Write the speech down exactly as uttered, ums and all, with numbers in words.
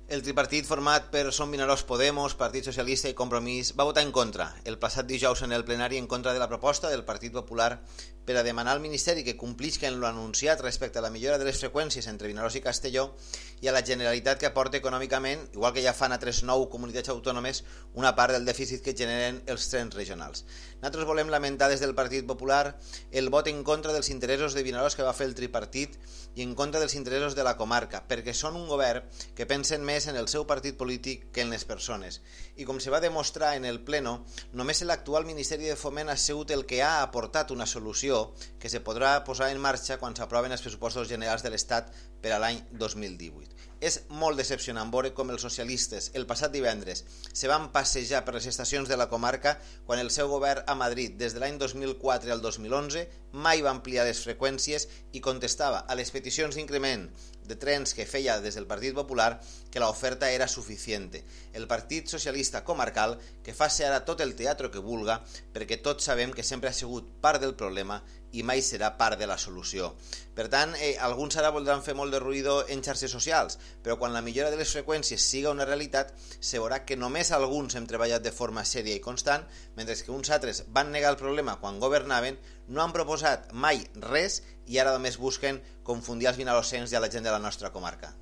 El tripartit format per Som Vinaròs Podemos, Partit Socialista i Compromís va votar en contra el passat dijous en el plenari en contra de la proposta del Partit Popular per a demanar al Ministeri que complisca en lo anunciat respecte a la millora de les freqüències entre Vinaròs i Castelló i a la Generalitat que aporta econòmicament, igual que ja fan a tres nou comunitats autònomes, una part del dèficit que generen els trens regionals. Nosaltres volem lamentar des del Partit Popular el vot en contra dels interessos de Vinaròs que va fer el tripartit i en contra dels interessos de la comarca, perquè són un govern que pensen més en el seu partit polític que en les persones. I com se va demostrar en el pleno, només l'actual Ministeri de Foment ha sigut el que ha aportat una solució que se podrà posar en marxa quan s'aproven els pressupostos generals de l'Estat per a l'any dos mil divuit. És molt decepcionant veure com els socialistes el passat divendres se van passejar per les estacions de la comarca quan el seu govern a Madrid des de l'any dos mil quatre al dos mil onze mai va ampliar les freqüències i contestava a les peticions d'increment de trens que feia des del Partit Popular que l'oferta era suficient. El Partit Socialista Comarcal que faci ara tot el teatre que vulga perquè tots sabem que sempre ha sigut part del problema i mai serà part de la solució. Per tant, eh, alguns ara voldran fer molt de ruïdo en xarxes socials, però quan la millora de les freqüències siga una realitat, se veurà que només alguns hem treballat de forma sèria i constant, mentre que uns altres van negar el problema quan governaven, no han proposat mai res i ara només busquen confundir els vinaròsens i a la gent de la nostra comarca.